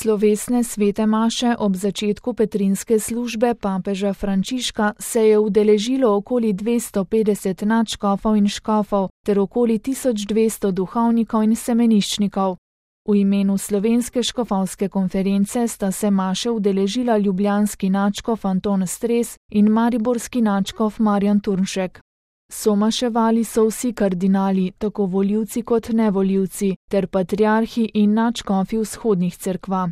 Slovesne svete maše ob začetku petrinske službe papeža Frančiška se je udeležilo okoli 250 nadškofov in škofov ter okoli 1200 duhovnikov in semeniščnikov. V imenu Slovenske škofovske konference sta se maše udeležila ljubljanski nadškof Anton Stres in mariborski nadškof Marjan Turnšek. Somaševali so vsi kardinali, tako volivci kot nevolivci, ter patriarhi in nadškofi vzhodnih cerkva.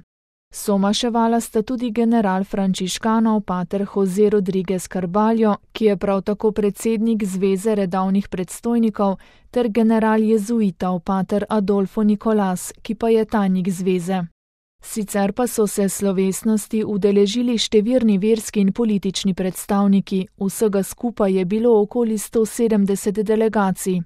Somaševala sta tudi general frančiškanov pater Jose Rodriguez Carballo, ki je prav tako predsednik Zveze redovnih predstojnikov, ter general jezuitov pater Adolfo Nicolas, ki pa je tajnik zveze. Sicer pa so se slovesnosti udeležili številni verski in politični predstavniki, vsega skupaj je bilo okoli 170 delegacij.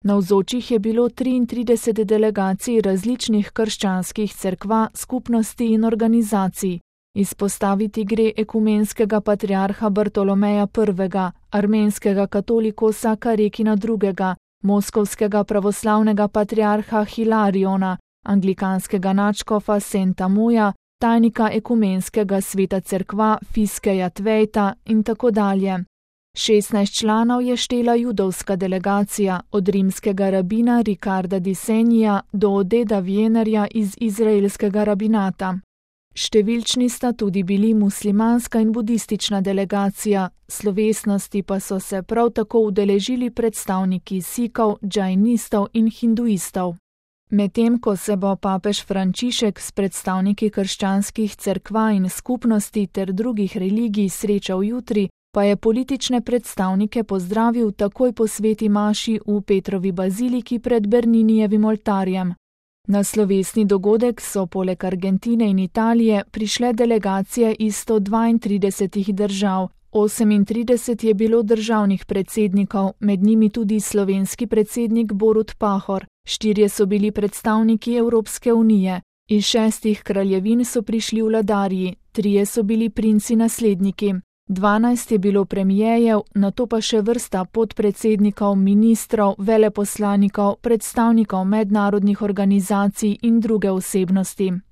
Navzočih je bilo 33 delegacij različnih krščanskih cerkva, skupnosti in organizacij. Izpostaviti gre ekumenskega patriarha Bartolomeja I., armenskega katolikosa Karekina II., moskovskega pravoslavnega patriarha Hilariona, anglikanskega nadškofa Senta Moja, tajnika ekumenskega sveta cerkva Fiskeja Tvejta in tako dalje. 16 članov je štela judovska delegacija, od rimskega rabina Ricarda di Senija do Odeda Wienerja iz izraelskega rabinata. Številčni sta tudi bili muslimanska in budistična delegacija, slovesnosti pa so se prav tako udeležili predstavniki sikov, džainistov in hinduistov. Medtem ko se bo papež Frančišek s predstavniki krščanskih cerkva in skupnosti ter drugih religij srečal jutri, pa je politične predstavnike pozdravil takoj po sveti maši v Petrovi baziliki pred Berninijevim oltarjem. Na slovesni dogodek so poleg Argentine in Italije prišle delegacije iz 132 držav, 38 je bilo državnih predsednikov, med njimi tudi slovenski predsednik Borut Pahor, 4 so bili predstavniki Evropske unije, iz 6 kraljevin so prišli vladarji, 3 so bili princi nasledniki, 12 je bilo premijejev, nato pa še vrsta podpredsednikov, ministrov, veleposlanikov, predstavnikov mednarodnih organizacij in druge osebnosti.